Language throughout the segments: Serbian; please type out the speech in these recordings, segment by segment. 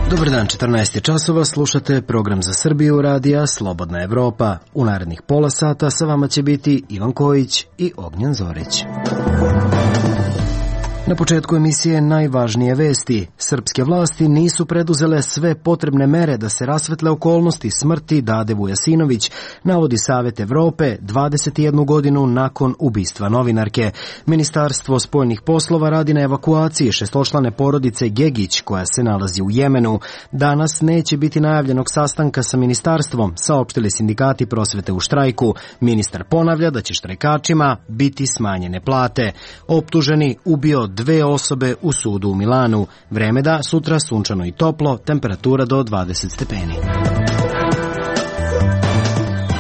Dobar dan, 14 časova, slušate program za Srbiju radija Slobodna Evropa. U narednih pola sata sa vama će biti Ivan Kojić i Ognjen Zorić. Na početku emisije najvažnije vesti. Srpske vlasti nisu preduzele sve potrebne mere da se rasvetle okolnosti smrti Dade Vujasinović, navodi Savet Evrope 21 godinu nakon ubistva novinarke. Ministarstvo spoljnih poslova radi na evakuaciji šestočlane porodice Gegić koja se nalazi u Jemenu. Danas neće biti najavljenog sastanka sa ministarstvom, saopštili sindikati prosvete u štrajku. Ministar ponavlja da će štrajkačima biti smanjene plate. Optuženi ubio 2 osobe u sudu u Milanu. Vreme da sutra sunčano i toplo, temperatura do 20 stepeni.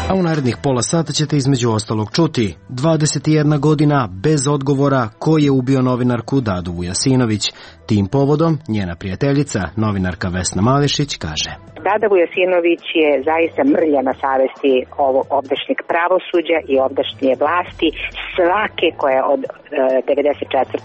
A u narednih pola sata ćete između ostalog čuti 21 godina bez odgovora ko je ubio novinarku Dadu Vujasinović. Tim povodom njena prijateljica, novinarka Vesna Malešić, kaže: Dada Vujasinović je zaista mrlja na savesti ovog ovdašnjeg pravosuđa i ovdašnje vlasti, svake koja je od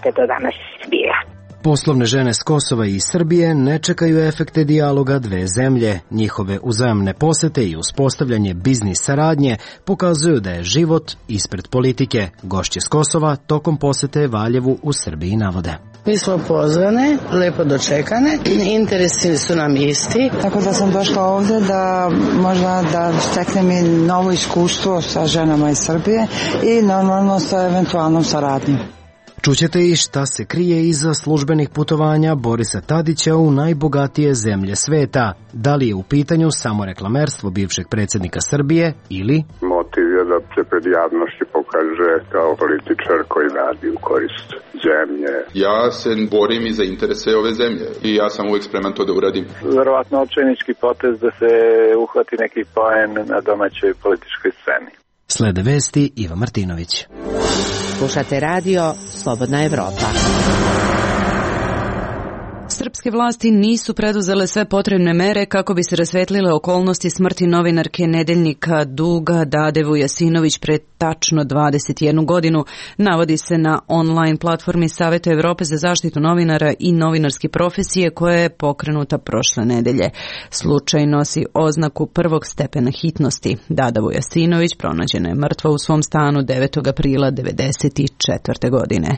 94. do danas bila. Poslovne žene s Kosova i Srbije ne čekaju efekte dijaloga dve zemlje. Njihove uzajamne posete i uspostavljanje biznis saradnje pokazuju da je život ispred politike. Gošće s Kosova tokom posete Valjevu u Srbiji navode: Mi smo pozvane, lepo dočekane, interesi su nam isti. Tako da sam došla ovde da možda da steknem i novo iskustvo sa ženama iz Srbije i normalno sa eventualnom saradnjom. Čućete i šta se krije iza službenih putovanja Borisa Tadića u najbogatije zemlje sveta. Da li je u pitanju samo reklamerstvo bivšeg predsjednika Srbije ili motiv je da se pred javnošću pokaže kao političar koji radi u korist zemlje. Ja se borim i za interese ove zemlje i ja sam uvijek spreman to da uradim. Verovatno očajnički potez da se uhvati neki poen na domaćoj političkoj sceni. Slede vesti Iva Martinović. Slušate radio Slobodna Evropa. Srpske vlasti nisu preduzele sve potrebne mere kako bi se rasvetlile okolnosti smrti novinarke nedeljnika Duga Dade Vujasinović pred tačno 21 godinu, navodi se na online platformi Saveta Evrope za zaštitu novinara i novinarske profesije koja je pokrenuta prošle nedelje. Slučaj nosi oznaku prvog stepena hitnosti. Dada Vujasinović pronađena je mrtva u svom stanu 9. aprila 1994. godine.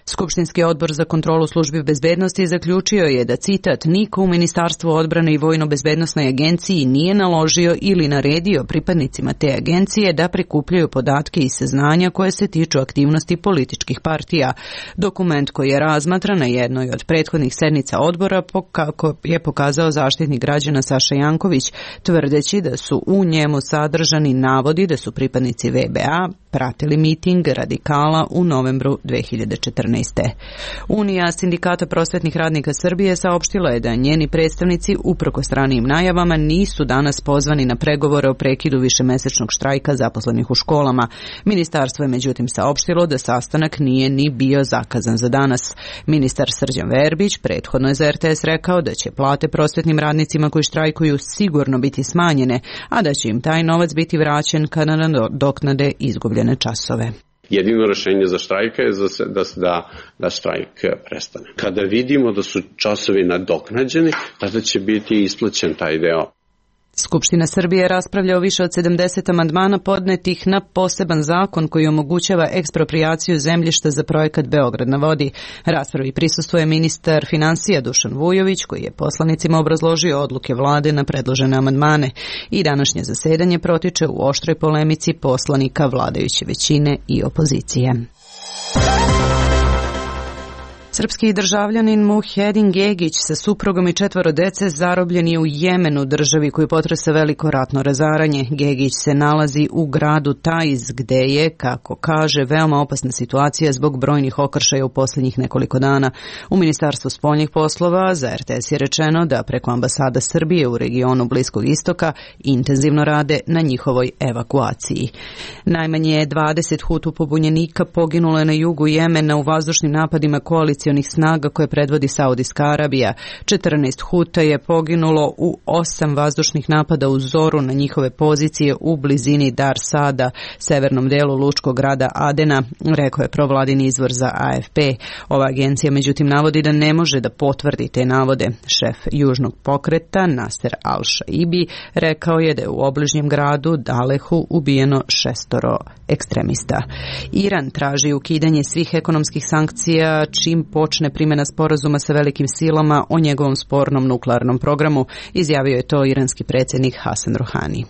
Skupštinski odbor za kontrolu službi bezbednosti zaključio je da, citat, niko u Ministarstvu odbrane i Vojno-bezbednosnoj agenciji nije naložio ili naredio pripadnicima te agencije da prikupljaju podatke i saznanja koje se tiču aktivnosti političkih partija. Dokument koji je razmatran na jednoj od prethodnih sednica odbora, kako je pokazao zaštitnik građana Saša Janković, tvrdeći da su u njemu sadržani navodi da su pripadnici VBA pratili miting radikala u novembru 2014. Unija sindikata prosvetnih radnika Srbije saopštila je da njeni predstavnici, uprkos ranijim najavama, nisu danas pozvani na pregovore o prekidu višemesečnog štrajka zaposlenih u školama. Ministarstvo je međutim saopštilo da sastanak nije ni bio zakazan za danas. Ministar Srđan Verbić prethodno je za RTS rekao da će plate prosvetnim radnicima koji štrajkuju sigurno biti smanjene, a da će im taj novac biti vraćen kada nadoknade izgubljene časove. Jedino rešenje za štrajka je da štrajk prestane. Kada vidimo da su časovi nadoknađeni, tada će biti isplaćen taj deo. Skupština Srbije raspravlja o više od 70 amandmana podnetih na poseban zakon koji omogućava eksproprijaciju zemljišta za projekat Beograd na vodi. Raspravi prisustvuje ministar finansija Dušan Vujović, koji je poslanicima obrazložio odluke vlade na predložene amandmane. I današnje zasedanje protiče u oštroj polemici poslanika vladajuće većine i opozicije. Srpski državljanin Muhedin Gegić sa suprugom i 4 dece zarobljen je u Jemenu, državi koju potresa veliko ratno razaranje. Gegić se nalazi u gradu Taiz, gde je, kako kaže, veoma opasna situacija zbog brojnih okršaja u posljednjih nekoliko dana. U Ministarstvu spoljnih poslova za RTS je rečeno da preko ambasada Srbije u regionu Bliskog istoka intenzivno rade na njihovoj evakuaciji. Najmanje 20 Hutu pobunjenika poginulo je na jugu Jemena u vazdušnim napadima koalicije koalicionih snaga koje predvodi Saudijska Arabija. 14 Huta je poginulo u 8 vazdušnih napada u zoru na njihove pozicije u blizini Dar Sada, severnom delu lučkog grada Adena, rekao je provladini izvor za AFP. Ova agencija međutim navodi da ne može da potvrdi te navode. Šef južnog pokreta Nasser al-Shaibi rekao je da je u obližnjem gradu Dalehu ubijeno 6 ekstremista. Iran traži ukidanje svih ekonomskih sankcija čim počne primjena sporazuma sa velikim silama o njegovom spornom nuklearnom programu, izjavio je to iranski predsjednik Hasan Rouhani.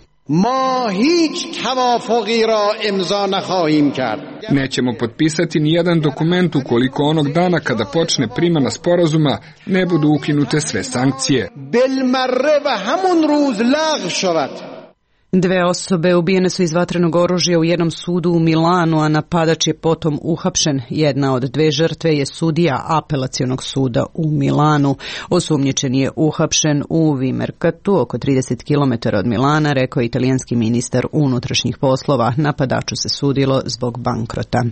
Nećemo potpisati ni jedan dokument ukoliko onog dana kada počne primjena sporazuma ne budu ukinute sve sankcije. 2 osobe ubijene su iz vatrenog oružja u jednom sudu u Milanu, a napadač je potom uhapšen. Jedna od 2 žrtve je sudija apelacionog suda u Milanu. Osumnjičen je uhapšen u Vimerkatu, oko 30 km od Milana, rekao je italijanski ministar unutrašnjih poslova. Napadaču se sudilo zbog bankrota.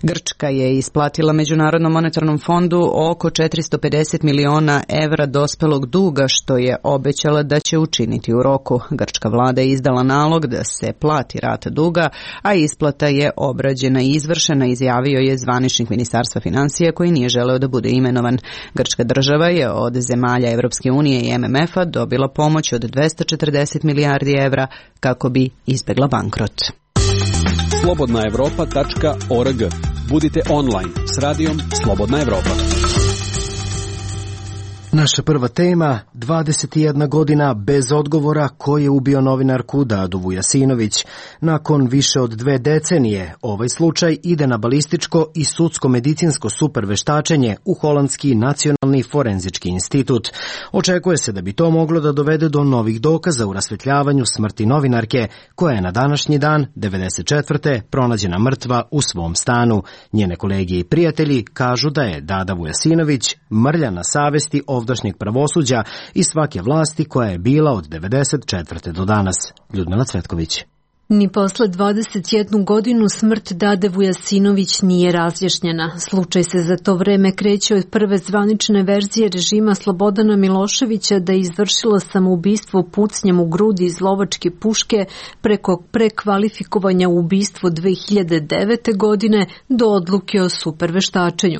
Grčka je isplatila Međunarodnom monetarnom fondu oko 450 miliona evra dospelog duga, što je obećala da će učiniti u roku. Grčka vlada je izdala nalog da se plati rata duga, a isplata je obrađena i izvršena, izjavio je zvaničnik Ministarstva financija koji nije želeo da bude imenovan. Grčka država je od zemalja Evropske unije i MMF-a dobila pomoć od 240 milijardi evra kako bi izbegla bankrot. Slobodnaevropa.org. Budite online s radijom Slobodna Evropa. Naša prva tema, 21 godina bez odgovora ko je ubio novinarku Dadu Vujasinović. Nakon više od 2 decenije, ovaj slučaj ide na balističko i sudsko-medicinsko superveštačenje u Holandski nacionalni forenzički institut. Očekuje se da bi to moglo da dovede do novih dokaza u rasvetljavanju smrti novinarke, koja je na današnji dan, 94. pronađena mrtva u svom stanu. Njene kolege i prijatelji kažu da je Dada Vujasinović mrlja na savesti ovdašnjeg pravosuđa i svake vlasti koja je bila od 94. do danas. Ljudmila Cvetković. Ni posle 21 godinu smrt Dade Vujasinović nije razjašnjena. Slučaj se za to vreme kreće od prve zvanične verzije režima Slobodana Miloševića da je izvršila samoubistvo pucnjem u grudi iz lovačke puške preko prekvalifikovanja u ubistvo 2009. godine do odluke o superveštačenju.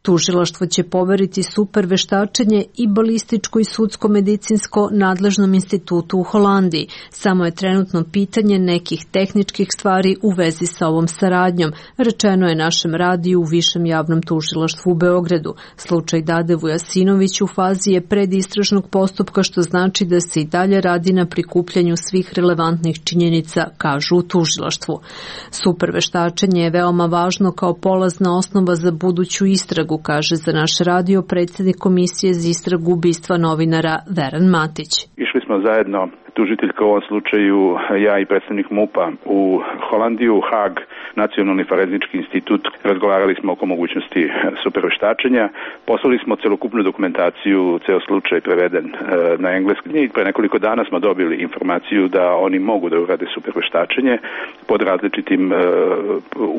Tužilaštvo će poveriti superveštačenje i balističko i sudsko-medicinsko nadležnom institutu u Holandiji. Samo je trenutno pitanje nekih tehničkih stvari u vezi sa ovom saradnjom, rečeno je našem radiju u Višem javnom tužilaštvu u Beogradu. Slučaj Dade Vujasinović u fazi je predistražnog postupka, što znači da se i dalje radi na prikupljanju svih relevantnih činjenica, kažu u tužilaštvu. Superveštačenje je veoma važno kao polazna osnova za buduću istragu, kaže za naš radio predsjednik Komisije za istragu ubistva novinara Veran Matić. Išli smo zajedno, tužiteljka u ovom slučaju, ja i predstavnik MUP-a u Holandiju, Hag, Nacionalni forenzički institut. Razgovarali smo oko mogućnosti superveštačenja. Poslali smo celokupnu dokumentaciju, ceo slučaj preveden na engleski. I pre nekoliko dana smo dobili informaciju da oni mogu da urade superveštačenje pod različitim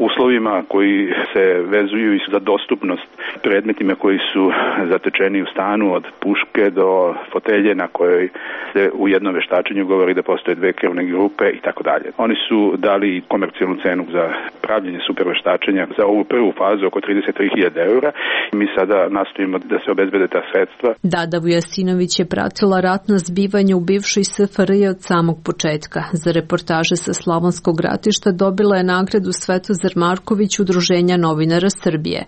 uslovima koji se vezuju i za dostupnost predmetima koji su zatečeni u stanu, od puške do fotelje na kojoj se u jednom veštačenju govori da postoje 2 krvne grupe i tako dalje. Oni su dali komercijalnu cenu za pravljenje superveštačenja za ovu prvu fazu oko 33.000 eura. Mi sada nastojimo da se obezbede ta sredstva. Dada Vujasinović je pratila ratna zbivanja u bivšoj SFRJ od samog početka. Za reportaže sa Slavonskog ratišta dobila je nagradu Svetozar Marković Udruženja novinara Srbije.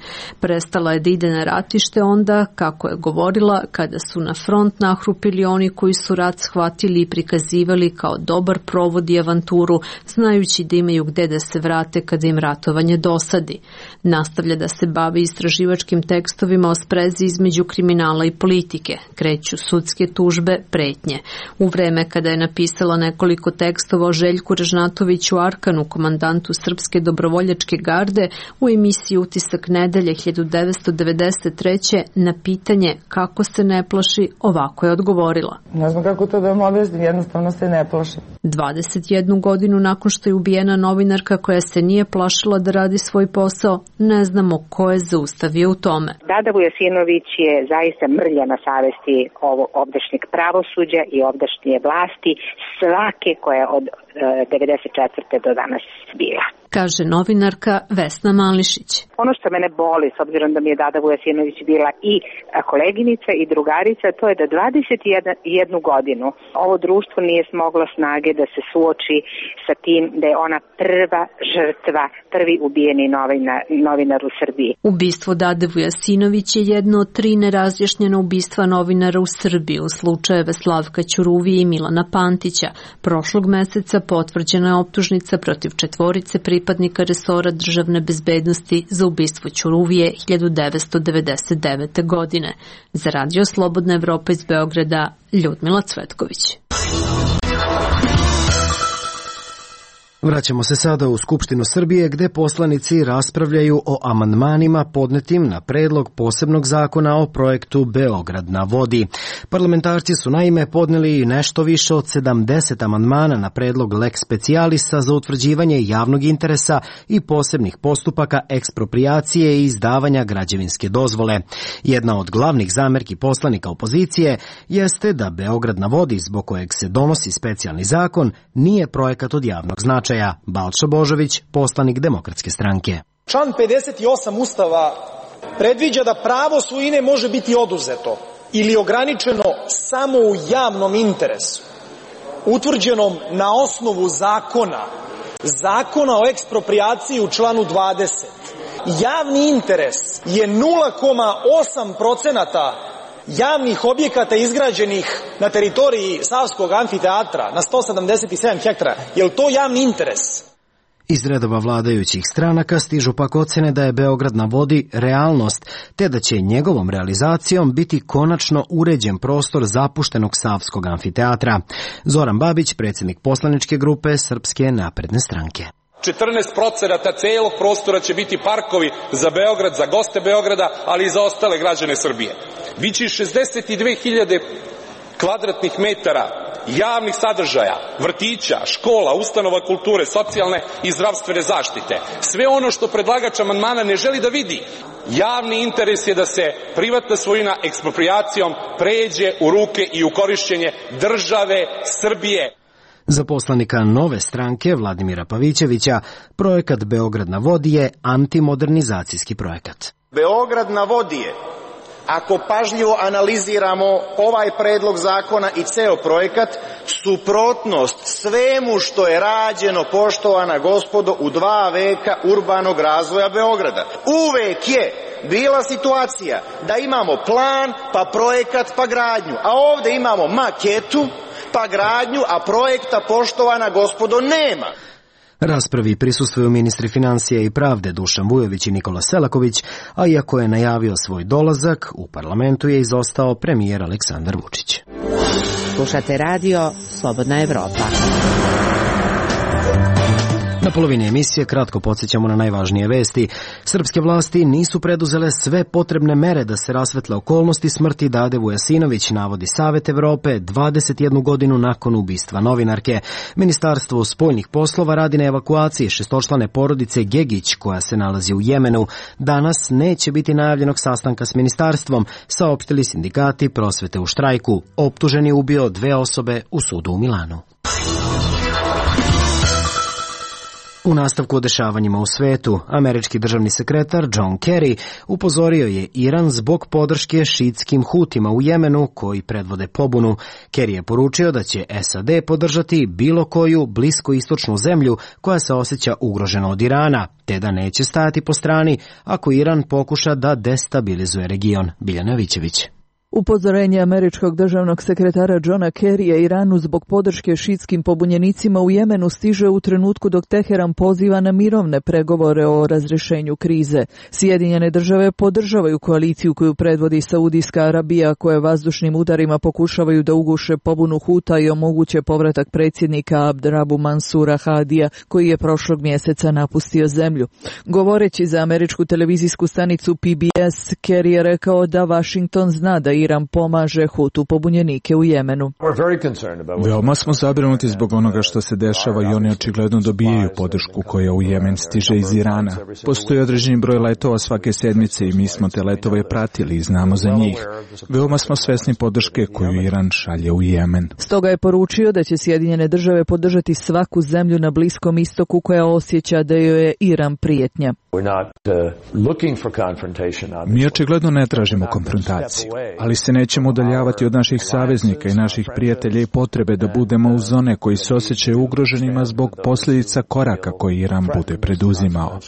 Prestala je da ide na ratište onda, kako je govorila, kada su na front nahrupili oni koji su rat shvatili i prikazivali kao dobar provod i avanturu, znajući da imaju gde da se vrate kada im ratovanje dosadi. Nastavlja da se bavi istraživačkim tekstovima o sprezi između kriminala i politike. Kreću sudske tužbe, pretnje. U vreme kada je napisala nekoliko tekstova o Željku Ražnatoviću Arkanu, komandantu Srpske dobrovoljačke garde, u emisiji Utisak nedelje 1993. na pitanje kako se ne plaši, ovako je odgovorila. Ne znam kako to da vam objasnim, jedno jednostavno se ne plašim. 21 godinu nakon što je ubijena novinarka koja se nije plašila da radi svoj posao, ne znamo ko je zaustavio u tome. Dada Vujasinović je zaista mrlja na savesti ovdašnjeg pravosuđa i ovdašnje vlasti, svake koja je od 94. do danas bila. Kaže novinarka Vesna Mališić. Ono što mene boli, s obzirom da mi je Dada Vujasinović bila i koleginica i drugarica, to je da 21 godinu ovo društvo nije smoglo snage da se suoči sa tim da je ona prva žrtva, prvi ubijeni novinar u Srbiji. Ubistvo Dade Vujasinović je jedno od 3 nerazjašnjena ubistva novinara u Srbiji u slučajeve Slavka Ćuruvije i Milana Pantića. Prošlog meseca potvrđena je optužnica protiv 4 pripadnika resora državne bezbednosti za ubistvo Ćuruvije 1999. godine. Za Radio Slobodna Evropa iz Beograda, Ljudmila Cvetković. Vraćamo se sada u Skupštinu Srbije gde poslanici raspravljaju o amandmanima podnetim na predlog posebnog zakona o projektu Beograd na vodi. Parlamentarci su naime podneli nešto više od 70 amandmana na predlog lex specialisa za utvrđivanje javnog interesa i posebnih postupaka eksproprijacije i izdavanja građevinske dozvole. Jedna od glavnih zamerki poslanika opozicije jeste da Beograd na vodi, zbog kojeg se donosi specijalni zakon, nije projekat od javnog značaja. Balša Božović, poslanik Demokratske stranke. Član 58 Ustava predviđa da pravo svojine može biti oduzeto ili ograničeno samo u javnom interesu, utvrđenom na osnovu zakona o eksproprijaciji u članu 20. Javni interes je 0,8% javnih objekata izgrađenih na teritoriji Savskog amfiteatra na 177 hektara. Je li to javni interes? Iz redova vladajućih stranaka stižu pak ocene da je Beograd na vodi realnost, te da će njegovom realizacijom biti konačno uređen prostor zapuštenog Savskog amfiteatra. Zoran Babić, predsjednik poslaničke grupe Srpske napredne stranke. 14% celog prostora će biti parkovi za Beograd, za goste Beograda, ali i za ostale građane Srbije. Biće 62.000 kvadratnih metara javnih sadržaja, vrtića, škola, ustanova kulture, socijalne i zdravstvene zaštite. Sve ono što predlagač amandmana ne želi da vidi. Javni interes je da se privatna svojina eksproprijacijom pređe u ruke i u korišćenje države Srbije. Za poslanika Nove stranke Vladimira Pavićevića, projekat Beograd na vodi je antimodernizacijski projekat. Beograd na vodi je, ako pažljivo analiziramo ovaj predlog zakona i ceo projekat, suprotnost svemu što je rađeno, poštovana gospodo, u 2 veka urbanog razvoja Beograda. Uvek je bila situacija da imamo plan, pa projekat, pa gradnju, a ovde imamo maketu, pa gradnju, a projekta, poštovana gospodo, nema. Raspravi prisustvuju ministri financija i pravde Dušan Vujović i Nikola Selaković, a iako je najavio svoj dolazak, u parlamentu je izostao premijer Aleksandar Vučić. Slušate radio Slobodna Evropa. Na polovini emisije kratko podsjećamo na najvažnije vesti. Srpske vlasti nisu preduzele sve potrebne mere da se rasvetle okolnosti smrti Dade Vujasinović, navodi Savet Evrope 21 godinu nakon ubistva novinarke. Ministarstvo spoljnih poslova radi na evakuaciji 6-člane porodice Gegić koja se nalazi u Jemenu. Danas neće biti najavljenog sastanka s ministarstvom, saopštili sindikati prosvete u štrajku. Optuženi je ubio 2 osobe u sudu u Milanu. U nastavku o dešavanjima u svetu, američki državni sekretar John Kerry upozorio je Iran zbog podrške šiitskim Hutima u Jemenu koji predvode pobunu. Kerry je poručio da će SAD podržati bilo koju bliskoistočnu zemlju koja se osjeća ugrožena od Irana, te da neće stajati po strani ako Iran pokuša da destabilizuje region. Biljana Vićević. Upozorenje američkog državnog sekretara Johna Kerrya Iranu zbog podrške šiitskim pobunjenicima u Jemenu stiže u trenutku dok Teheran poziva na mirovne pregovore o razrešenju krize. Sjedinjene države podržavaju koaliciju koju predvodi Saudijska Arabija, koje vazdušnim udarima pokušavaju da uguše pobunu Huta i omoguće povratak predsjednika Abdrabu Mansura Hadija, koji je prošlog mjeseca napustio zemlju. Govoreći za američku televizijsku stanicu PBS, Kerry je rekao da Washington zna da Iran pomaže Hutu pobunjenike u Jemenu. Veoma smo zabrinuti zbog onoga što se dešava i oni očigledno dobijaju podršku koja u Jemen stiže iz Irana. Postoji određeni broj letova svake sedmice i mi smo te letove pratili i znamo za njih. Veoma smo svesni podrške koju Iran šalje u Jemen. Stoga je poručio da će Sjedinjene države podržati svaku zemlju na Bliskom istoku koja osjeća da joj je Iran prijetnja. Mi očigledno ne tražimo konfrontaciju, ali se nećemo udaljavati od naših saveznika i naših prijatelja i potrebe da budemo uz one koji se osjećaju ugroženima zbog posljedica koraka koji Iran bude preduzimao.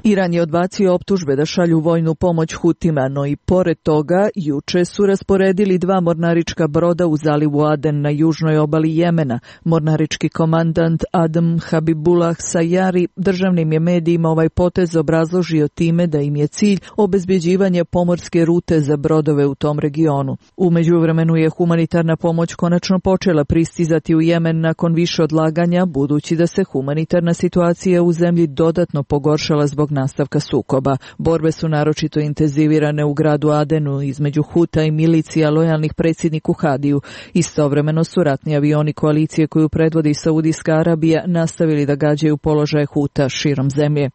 Iran je odbacio optužbe da šalju vojnu pomoć Hutima, no i pored toga juče su rasporedili 2 mornarička broda u zalivu Aden na južnoj obali Jemena. Mornarički komandant Adam Habibullah Sayari državnim je medijima ovaj potez obrazložio time da im je cilj obezbjeđivanje pomorske rute za brodove u tom regionu. U međuvremenu je humanitarna pomoć konačno počela pristizati u Jemen nakon više odlaganja, budući da se humanitarna situacija u zemlji dodatno pogoršala zbog nastavka sukoba. Borbe su naročito intenzivirane u gradu Adenu između Huta i milicija lojalnih predsjedniku Hadiju. Istovremeno su ratni avioni koalicije koju predvodi Saudijska Arabija nastavili da gađaju položaje Huta širom zemlje.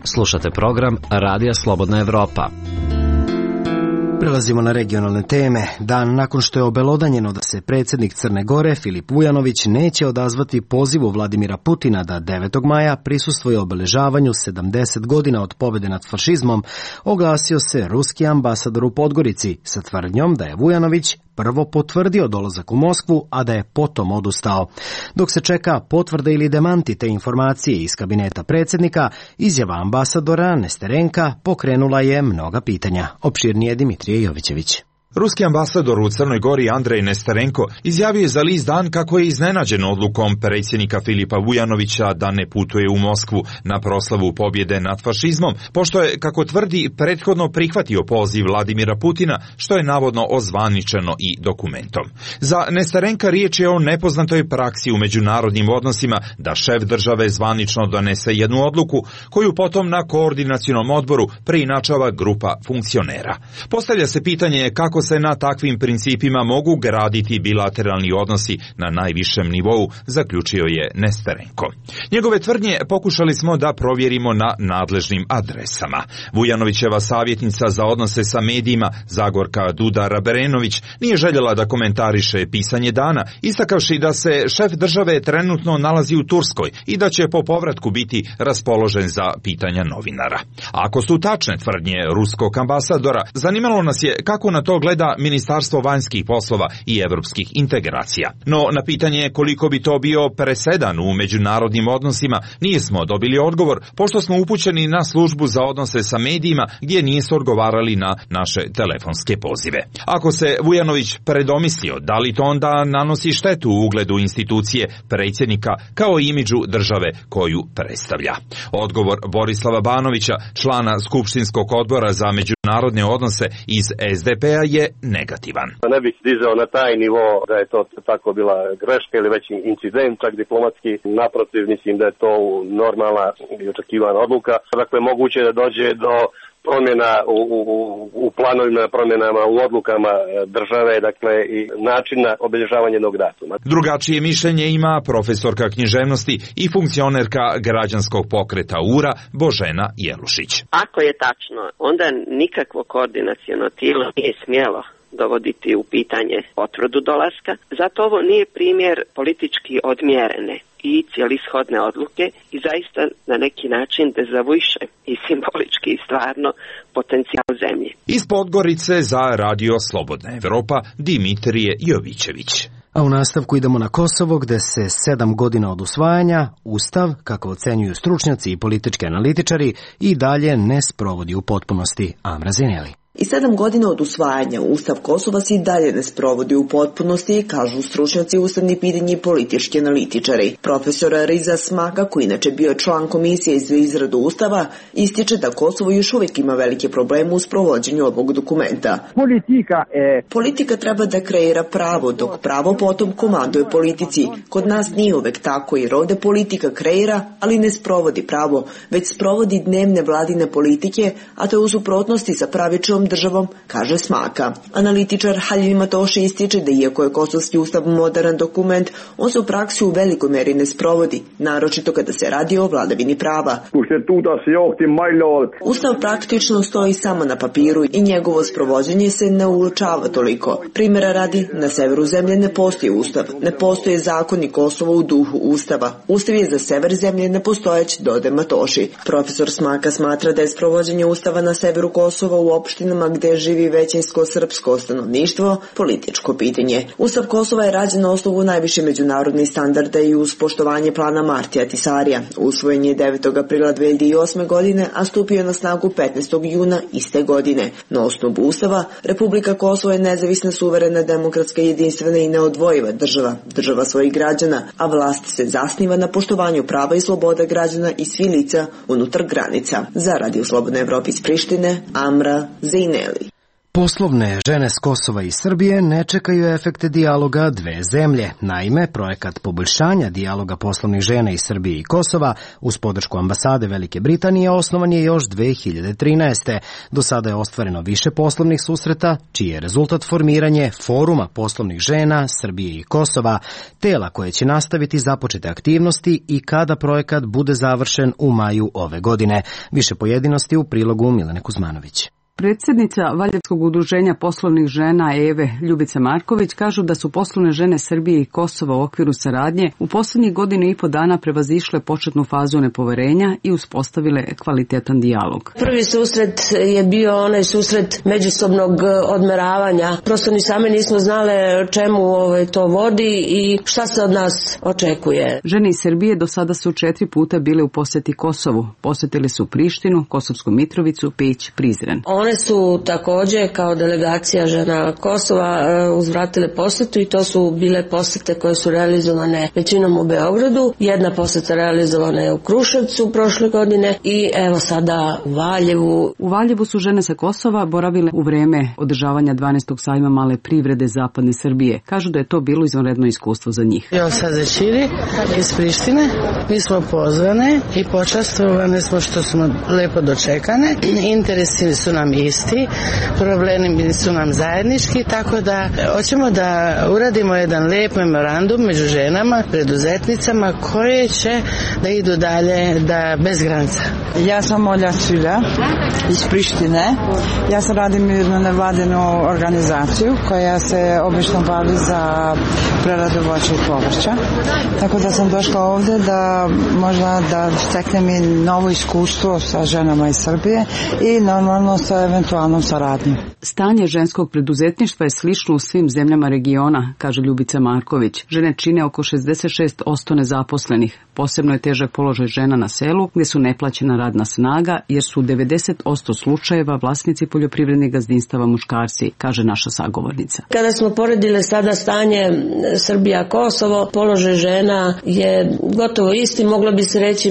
Slušate program Radija Slobodna Evropa. Prelazimo na regionalne teme. Dan nakon što je obelodanjeno da se predsjednik Crne Gore, Filip Vujanović, neće odazvati pozivu Vladimira Putina da 9. maja prisustvuje obeležavanju 70 godina od pobjede nad fašizmom, oglasio se ruski ambasador u Podgorici sa tvrdnjom da je Vujanović prvo potvrdio dolazak u Moskvu, a da je potom odustao. Dok se čeka potvrda ili demanti te informacije iz kabineta predsjednika, izjava ambasadora Nesterenka pokrenula je mnoga pitanja. Opširnije Dimitrije Jovićević. Ruski ambasador u Crnoj Gori Andrej Nesterenko izjavio je za list Dan kako je iznenađen odlukom predsjednika Filipa Vujanovića da ne putuje u Moskvu na proslavu pobjede nad fašizmom, pošto je, kako tvrdi, prethodno prihvatio poziv Vladimira Putina, što je navodno ozvaničeno i dokumentom. Za Nesterenka riječ je o nepoznatoj praksi u međunarodnim odnosima da šef države zvanično donese jednu odluku, koju potom na koordinacionom odboru preinačava grupa funkcionera. Postavlja se pitanje kako se na takvim principima mogu graditi bilateralni odnosi na najvišem nivou, zaključio je Nesterenko. Njegove tvrdnje pokušali smo da provjerimo na nadležnim adresama. Vujanovićeva savjetnica za odnose sa medijima Zagorka Dudar-Berenović nije željela da komentariše pisanje Dana, istakavši da se šef države trenutno nalazi u Turskoj i da će po povratku biti raspoložen za pitanja novinara. Ako su tačne tvrdnje ruskog ambasadora, zanimalo nas je kako na to gleda Ministarstvo vanjskih poslova i evropskih integracija. No na pitanje koliko bi to bio presedan u međunarodnim odnosima nismo dobili odgovor, pošto smo upućeni na službu za odnose sa medijima gdje nisu odgovarali na naše telefonske pozive. Ako se Vujanović predomislio, da li to onda nanosi štetu u ugledu institucije predsjednika kao i imidžu države koju predstavlja? Odgovor Borislava Banovića, člana Skupštinskog odbora za međunarodne odnose iz SDP-a, je negativan. Ne bih dizao na taj nivo da je to tako bila greška ili već incident, čak diplomatski. Naprotiv, mislim da je to normalna i očekivana odluka. Dakle, moguće da dođe do promjena u planovima, promjenama u odlukama države, dakle i načina obilježavanja jednog datuma. Drugačije mišljenje ima profesorka književnosti i funkcionerka građanskog pokreta URA Božena Jelušić. Ako je tačno, onda nikakvo koordinaciono tijelo nije smjelo dovoditi u pitanje potvrdu dolaska. Zato ovo nije primjer politički odmjerene i cijelishodne odluke i zaista na neki način dezavuiše i simbolički i stvarno potencijal zemlje. Iz Podgorice za Radio Slobodna Evropa Dimitrije Jovićević. A u nastavku idemo na Kosovo, gde se 7 godina od usvajanja Ustav, kako ocenjuju stručnjaci i politički analitičari, i dalje ne sprovodi u potpunosti. Amra Zineli. I 7 godina od usvajanja Ustav Kosova se i dalje ne sprovodi u potpunosti, kažu stručnjaci ustavni pitanje i politički analitičari. Profesor Riza Smaka, koji inače bio član komisije za izradu Ustava, ističe da Kosovo još uvijek ima velike probleme u sprovođenju ovog dokumenta. Politika treba da kreira pravo, dok pravo potom komanduje politici. Kod nas nije uvek tako, jer ovde politika kreira, ali ne sprovodi pravo, već sprovodi dnevne vladine politike, a to je u suprotnosti sa pravičnom državom, kaže Smaka. Analitičar Halil Matoši ističe da iako je kosovski ustav moderan dokument, on se u praksi u velikoj meri ne sprovodi, naročito kada se radi o vladavini prava. Ustav praktično stoji samo na papiru i njegovo sprovođenje se ne uočava toliko. Primjera radi, na severu zemlje ne postoji ustav, ne postoje zakoni Kosova u duhu ustava. Ustav je za sever zemlje nepostojeć, dode Matoši. Profesor Smaka smatra da je sprovođenje ustava na severu Kosova u opštinama gde živi većinsko srpsko stanovništvo političko pitanje. Ustav Kosova je rađen na osnovu najviše međunarodnih standarda i uz poštovanje plana Martija Tisarija. Usvojen je 9. aprila 2008. godine, a stupio na snagu 15. juna iste godine. Na osnovu ustava, Republika Kosovo je nezavisna, suverena, demokratska, jedinstvena i neodvojiva država svojih građana, a vlast se zasniva na poštovanju prava i sloboda građana i svih lica unutar granica. Za Radio Slobodna Evropa iz Prištine, Amra Zejneli. Poslovne žene s Kosova i Srbije ne čekaju efekte dijaloga dve zemlje. Naime, projekat poboljšanja dijaloga poslovnih žena iz Srbije i Kosova uz podršku ambasade Velike Britanije osnovan je još 2013. Do sada je ostvareno više poslovnih susreta, čiji je rezultat formiranje Foruma poslovnih žena Srbije i Kosova, tela koje će nastaviti započete aktivnosti i kada projekat bude završen u maju ove godine. Više pojedinosti u prilogu Milene Kuzmanović. Predsjednica Valjevskog udruženja poslovnih žena EVE Ljubica Marković kažu da su poslovne žene Srbije i Kosova u okviru saradnje u posljednjih godinu i po dana prevazišle početnu fazu nepoverenja i uspostavile kvalitetan dijalog. Prvi susret je bio onaj susret međusobnog odmeravanja. Prosto ni same nismo znale čemu to vodi i šta se od nas očekuje. Žene iz Srbije do sada su 4 puta bile u posjeti Kosovu. Posjetili su Prištinu, Kosovsku Mitrovicu, Peć, Prizren. One su također kao delegacija žena Kosova uzvratile posjetu i to su bile posjete koje su realizovane većinom u Beogradu. Jedna posjeta realizovana je u Kruševcu prošle godine i evo sada u Valjevu. U Valjevu su žene sa Kosova boravile u vreme održavanja 12. sajma male privrede zapadne Srbije. Kažu da je to bilo izvanredno iskustvo za njih. Ja sam Zećiri iz Prištine. Mi smo pozvane i počastvovane smo što smo lepo dočekane. Interesi su nam isti, problemi su nam zajednički, tako da hoćemo da uradimo jedan lep memorandum među ženama, preduzetnicama koje će da idu dalje bez granica. Ja sam Olja Cvilja iz Prištine. Ja sam radim jednu nevladinu organizaciju koja se obično bavi za preradu voća i povrća. Tako da sam došla ovdje da možda da steknem i novo iskustvo sa ženama iz Srbije i normalno sa eventualnom saradnjom. Stanje ženskog preduzetništva je slično u svim zemljama regiona, kaže Ljubica Marković. Žene čine oko 66% nezaposlenih. Posebno je težak položaj žena na selu, gdje su neplaćena radna snaga, jer su u 90% slučajeva vlasnici poljoprivrednih gazdinstava muškarci, kaže naša sagovornica. Kada smo poredile sada stanje Srbija-Kosovo, položaj žena je gotovo isti, moglo bi se reći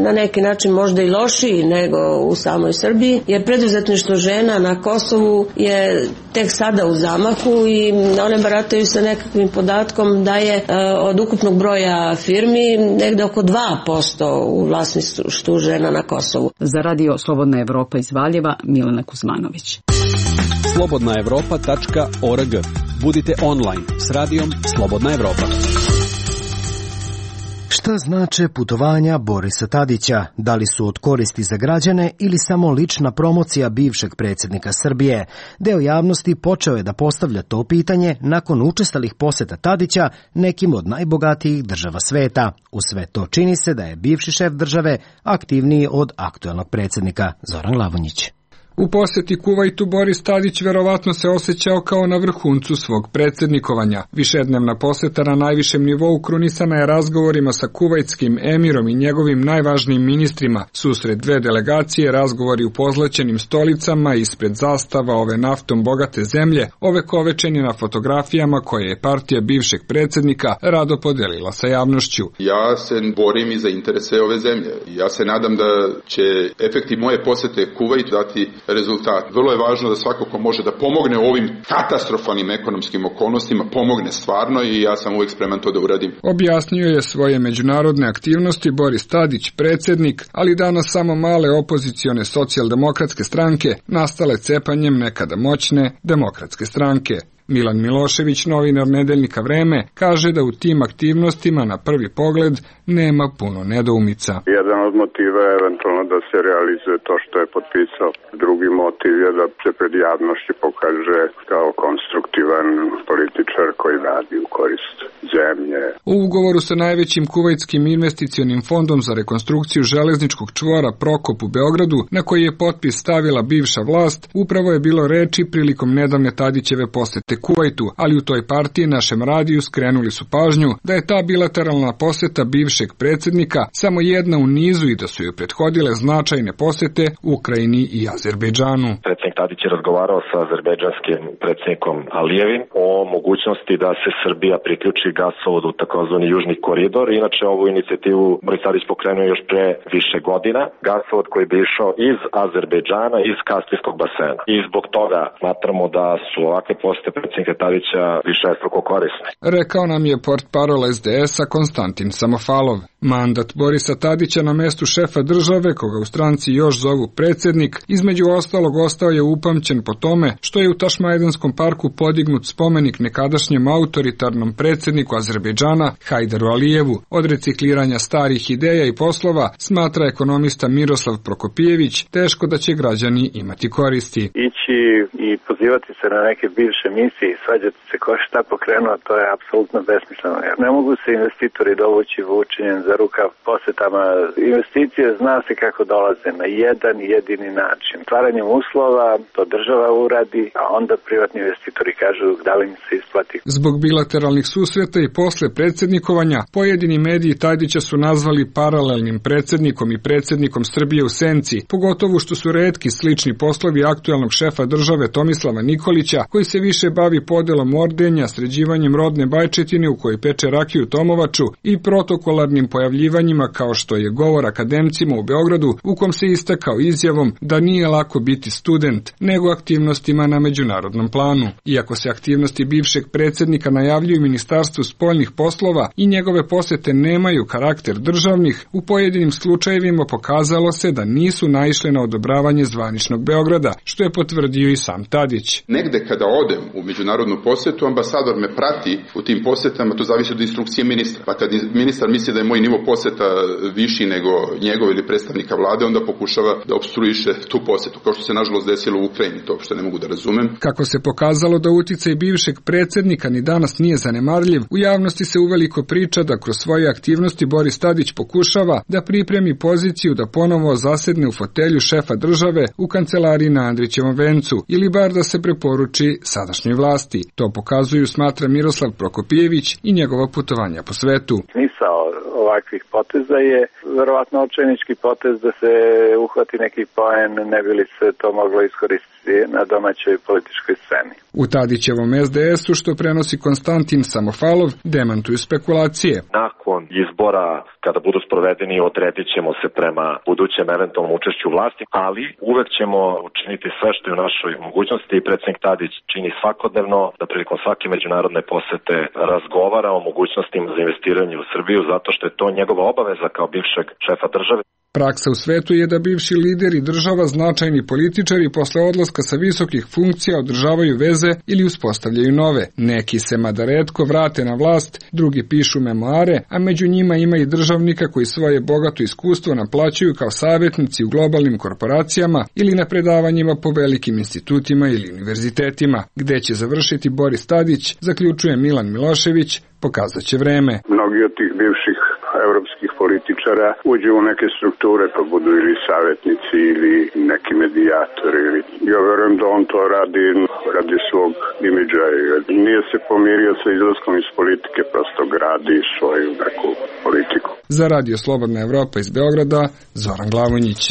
na neki način možda i lošiji nego u samoj Srbiji, jer preduzetništvo žena na Kosovu je tek sada u zamahu i one barataju sa nekakvim podatkom da je od ukupnog broja firmi negde oko 2% u vlasništvu žena na Kosovu. Za Radio Slobodna Evropa iz Valjeva, Milena Kuzmanović. slobodnaevropa.org. Budite online s radijom Slobodna Evropa. Šta znače putovanja Borisa Tadića? Da li su od koristi za građane ili samo lična promocija bivšeg predsjednika Srbije? Deo javnosti počeo je da postavlja to pitanje nakon učestalih poseta Tadića nekim od najbogatijih država sveta. U sve to čini se da je bivši šef države aktivniji od aktuelnog predsjednika Zoran Lavonjić. U poseti Kuvajtu Boris Tadić verovatno se osjećao kao na vrhuncu svog predsjednikovanja. Višednevna poseta na najvišem nivou krunisana je razgovorima sa kuvajtskim emirom i njegovim najvažnijim ministrima. Susret dve delegacije, razgovori u pozlaćenim stolicama ispred zastava ove naftom bogate zemlje, ovekovečeni na fotografijama koje je partija bivšeg predsjednika rado podelila sa javnošću. Ja se borim i za interese ove zemlje. Ja se nadam da će efekti moje posete Kuvajtu dati rezultat. Vrlo je važno da svako ko može da pomogne u ovim katastrofalnim ekonomskim okolnostima, pomogne stvarno i ja sam uvijek spreman to da uradim. Objasnio je svoje međunarodne aktivnosti Boris Tadić, predsjednik, ali danas samo male opozicione socijaldemokratske stranke, nastale cepanjem nekada moćne demokratske stranke. Milan Milošević, novinar nedeljnika Vreme, kaže da u tim aktivnostima na prvi pogled nema puno nedoumica. Jedan od motiva je eventualno da se realizuje to što je potpisao. Drugi motiv je da se pred javnošću pokaže kao konstruktivan političar koji radi u korist zemlje. U ugovoru sa najvećim kuvajtskim investicionim fondom za rekonstrukciju železničkog čvora Prokop u Beogradu, na koji je potpis stavila bivša vlast, upravo je bilo reči prilikom nedavne Tadićeve posete Kuvajtu, ali u toj partiji našem radiju skrenuli su pažnju da je ta bilateralna poseta bivšeg predsjednika samo jedna u nizu i da su joj prethodile značajne posete Ukrajini i Azerbejdžanu. Predsjednik Tadić je razgovarao sa azerbejdžanskim predsjednikom Alijevim o mogućnosti da se Srbija priključi gasovodu u takozvani Južni koridor. Inače, ovu inicijativu Boris Tadić pokrenuo još pre više godina. Gasovod koji bi išao iz Azerbejdžana, iz Kaspijskog basena. I zbog toga smatramo da su ovakve posete predsjednika Tadića višestruko korisne. Rekao nam je portparol SDS-a Konstantin Samofalov. Mandat Borisa Tadića na mestu šefa države, koga u stranci još zovu predsjednik, između ostalog ostao je upamćen po tome što je u Tašmajdanskom parku podignut spomenik nekadašnjem autoritarnom predsjedniku Azerbejdžana Hajdaru Alijevu. Od recikliranja starih ideja i poslova, smatra ekonomista Miroslav Prokopijević, teško da će građani imati koristi. Ići i pozivati se na neke bivše misije i svađati se ko šta pokrenuo, to je apsolutno besmisleno. Jer ne mogu se investitori dovući vučenjem za rukav posetama. Investicije zna se kako dolaze na jedan jedini način. Stvaranjem uslova to država uradi, a onda privatni investitori kažu da li im se isplati. Zbog bilateralnih susreta i posle predsjednikovanja, pojedini mediji Tadića su nazvali paralelnim predsjednikom i predsjednikom Srbije u senci, pogotovo što su retki slični poslovi aktuelnog šefa države Tomislava Nikolića, koji se više bavi podelom ordenja, sređivanjem rodne bajčetine u kojoj peče rakiju Tomovaču i protokolarnim pojavljivanjima kao što je govor akademcima u Beogradu, u kom se istakao izjavom da nije lako biti student, nego aktivnostima na međunarodnom planu. Iako se aktivnosti bivšeg predsjednika najavljuju Ministarstvu spoljnih poslova i njegove posete nemaju karakter državnih, u pojedinim slučajevima pokazalo se da nisu naišle na odobravanje zvaničnog Beograda, što je potvrdio i sam Tadić. Negde kada odem u međunarodnu posetu, ambasador me prati u tim posetama, to zavisi od instrukcije ministra. Pa kad ministar misli da je moj nivo poseta viši nego njegov ili predstavnika vlade, onda pokušava da opstruiše tu posetu, kao što se nažalost desilo u Ukrajini, to što ne mogu da razumem. Kako se pokazalo da uticaj bivšeg predsjednika ni danas nije zanemarljiv, u javnosti se uveliko priča da kroz svoje aktivnosti Boris Tadić pokušava da pripremi poziciju da ponovo zasedne u fotelju šefa države u kancelariji na Andrićevom vencu ili bar da se preporuči sadašnjoj vlasti. To pokazuju, smatra Miroslav Prokopijević i njegova putovanja po svetu. Smisao ovakvih poteza je verovatno očajnički potez da se uhvati neki poen, ne bi li se to moglo iskoristiti na domaćoj političkoj sceni. U Tadićevom SDS-u, što prenosi Konstantin Samofalov, demantuju spekulacije. Nakon izbora, kada budu sprovedeni, odredit ćemo se prema budućem eventualnom učešću vlasti, ali uvek ćemo učiniti sve što je u našoj mogućnosti i predsjednik Tadić čini svakodnevno da prilikom svake međunarodne posete razgovara o mogućnostima za investiranje u Srbiju, zato što je to njegova obaveza kao bivšeg šefa države. Praksa u svetu je da bivši lideri država, značajni političari posle odlaska sa visokih funkcija održavaju veze ili uspostavljaju nove. Neki se mada retko vrate na vlast, drugi pišu memoare, a među njima ima i državnika koji svoje bogato iskustvo naplaćuju kao savjetnici u globalnim korporacijama ili na predavanjima po velikim institutima ili univerzitetima. Gde će završiti Boris Tadić, zaključuje Milan Milošević, pokazat će vreme. Mnogi od tih bivših evropskih političara uđe u neke strukture pa budu ili savjetnici ili neki medijatori. Ja verujem da on to radi svog imidža. Nije se pomirio sa izlaskom iz politike, prosto gradi svoju neku politiku. Za Radio Slobodna Evropa iz Beograda, Zoran Glavonjić.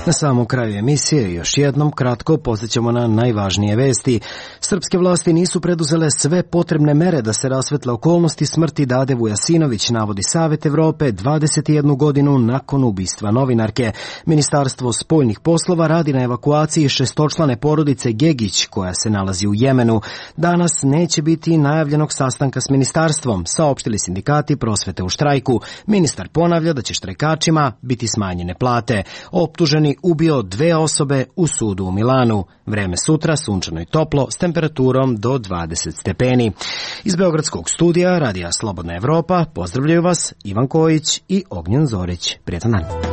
Na samom kraju emisije još jednom kratko podsjećamo na najvažnije vesti. Srpske vlasti nisu preduzele sve potrebne mere da se rasvetle okolnosti smrti Dade Vujasinović, navodi Savet Evrope 21 godinu nakon ubistva novinarke. Ministarstvo spoljnih poslova radi na evakuaciji šestočlane porodice Gegić koja se nalazi u Jemenu. Danas neće biti najavljenog sastanka s ministarstvom, saopštili sindikati prosvete u štrajku. Ministar ponavlja da će štrajkačima biti smanjene plate. Optuženi ubio 2 osobe u sudu u Milanu. Vreme sutra sunčano i toplo s temperaturom do 20 stepeni. Iz Beogradskog studija Radija Slobodna Evropa pozdravljaju vas Ivan Kojić i Ognjen Zorić. Prijetan dan.